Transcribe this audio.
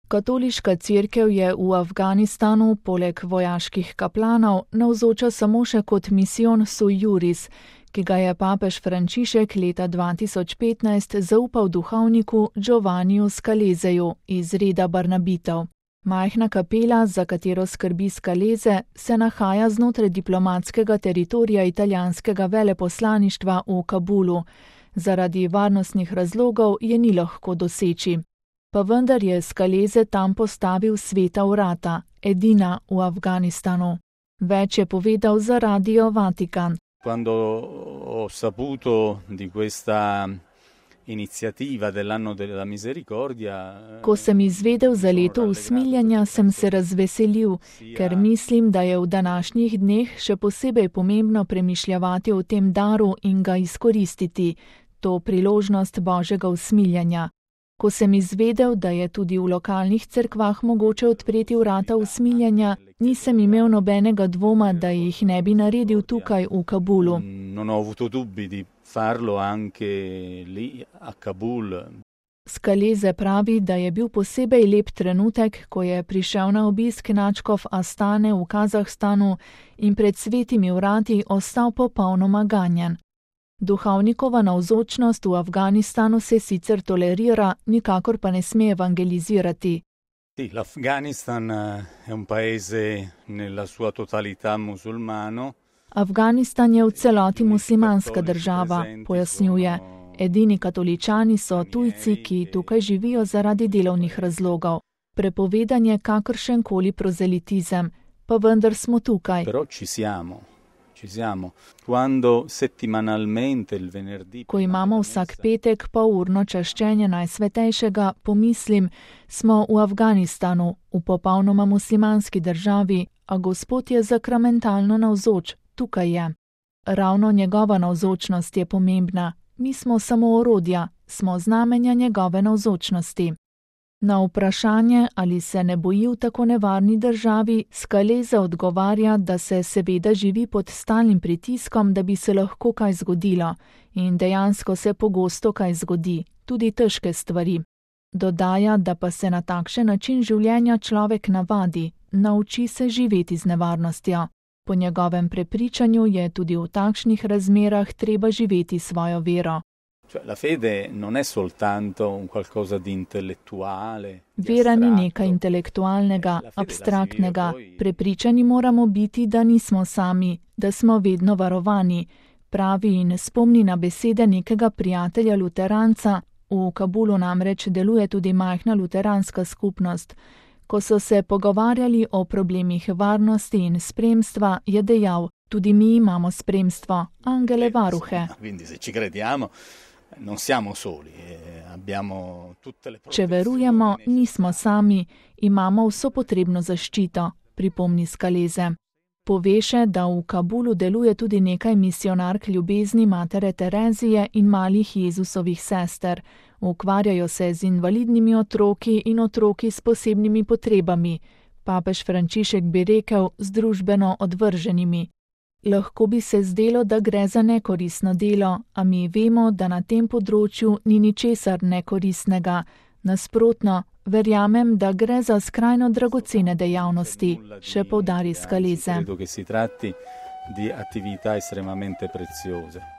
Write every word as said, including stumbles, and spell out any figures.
Katoliška cerkev je v Afganistanu poleg vojaških kaplanov navzoča samo še kot misijon sui juris, ki ga je papež Frančišek leta dva tisoč petnajst zaupal duhovniku Giovanniju Scaleseju iz reda Barnabitov. Majhna kapela, za katero skrbi Scalese, se nahaja znotraj diplomatskega teritorija italijanskega veleposlaništva v Kabulu. Zaradi varnostnih razlogov je ni lahko doseči. Pa vendar je Scalese tam postavil sveta vrata, edina v Afganistanu. Več je povedal za Radio Vatikan. Quando ho saputo di questa iniziativa dell'anno della misericordia, Ko sem izvedel za leto usmiljenja, sem se razveselil, ker mislim, da je v današnjih dneh še posebej pomembno premišljavati o tem daru in ga izkoristiti, to priložnost Božjega usmiljenja. Ko sem izvedel, da je tudi v lokalnih cerkvah mogoče odpreti vrata usmiljenja, nisem imel nobenega dvoma, da jih ne bi naredil tukaj v Kabulu. Non ho avuto dubbi di farlo anche lì a Kabul. Scalese pravi, da je bil posebej lep trenutek, ko je prišel na obisk nadškof Astane v Kazahstanu in pred svetimi vrati ostal popolnoma ganjen. Duhovnikova navzočnost v Afganistanu se sicer tolerira, nikakor pa ne sme evangelizirati. Sì, l'Afghanistan è un paese nella sua totalità musulmano. Afganistan je v celoti muslimanska država, pojasnjuje. Edini katoličani so tujci, ki tukaj živijo zaradi delovnih razlogov. Prepovedan je kakršenkoli prozelitizem, pa vendar smo tukaj. Però ci siamo. Ci siamo. Quando settimanalmente il venerdì Ko imamo vsak petek polurno čaščenje Najsvetejšega, pomislim, smo v Afganistanu, v popolnoma muslimanski državi, a Gospod je zakramentalno navzoč, tukaj je. Ravno njegova navzočnost je pomembna, mi smo samo orodja, smo znamenja njegove navzočnosti. Na vprašanje, ali se ne boji v tako nevarni državi, Scalese odgovarja, da se seveda živi pod stalnim pritiskom, da bi se lahko kaj zgodilo. In dejansko se pogosto kaj zgodi, tudi težke stvari. Dodaja, da pa se na takšen način življenja človek navadi, nauči se živeti z nevarnostjo. Po njegovem prepričanju je tudi v takšnih razmerah treba živeti svojo vero. Cioè, la fede non è soltanto un qualcosa di intellettuale. Di Vera ni astratto. nekaj intelektualnega, La fede la abstraktnega. si vive poi- Prepričani moramo biti, da nismo sami, da smo vedno varovani. Pravi in spomni na besede nekega prijatelja luteranca, v Kabulu namreč deluje tudi majhna luteranska skupnost. Ko so se pogovarjali o problemih varnosti in spremstva, je dejal, tudi mi imamo spremstvo, angele varuhe. Quindi se ci crediamo non siamo soli, eh, abbiamo tutte le Če verujemo, protezioni nismo sami, imamo vso potrebno zaščito, pripomni Scalese. Pove še, da v Kabulu deluje tudi nekaj misijonark ljubezni matere Terezije in malih Jezusovih sester. Ukvarjajo se z invalidnimi otroki in otroki s posebnimi potrebami. Papež Frančišek bi rekel, z družbeno odvrženimi. Lahko bi se zdelo, da gre za nekoristno delo, a mi vemo, da na tem področju ni ničesar nekoristnega. Nasprotno, verjamem, da gre za skrajno dragocene dejavnosti, še poudari Scalese. Credo che si tratti di attività estremamente preziose.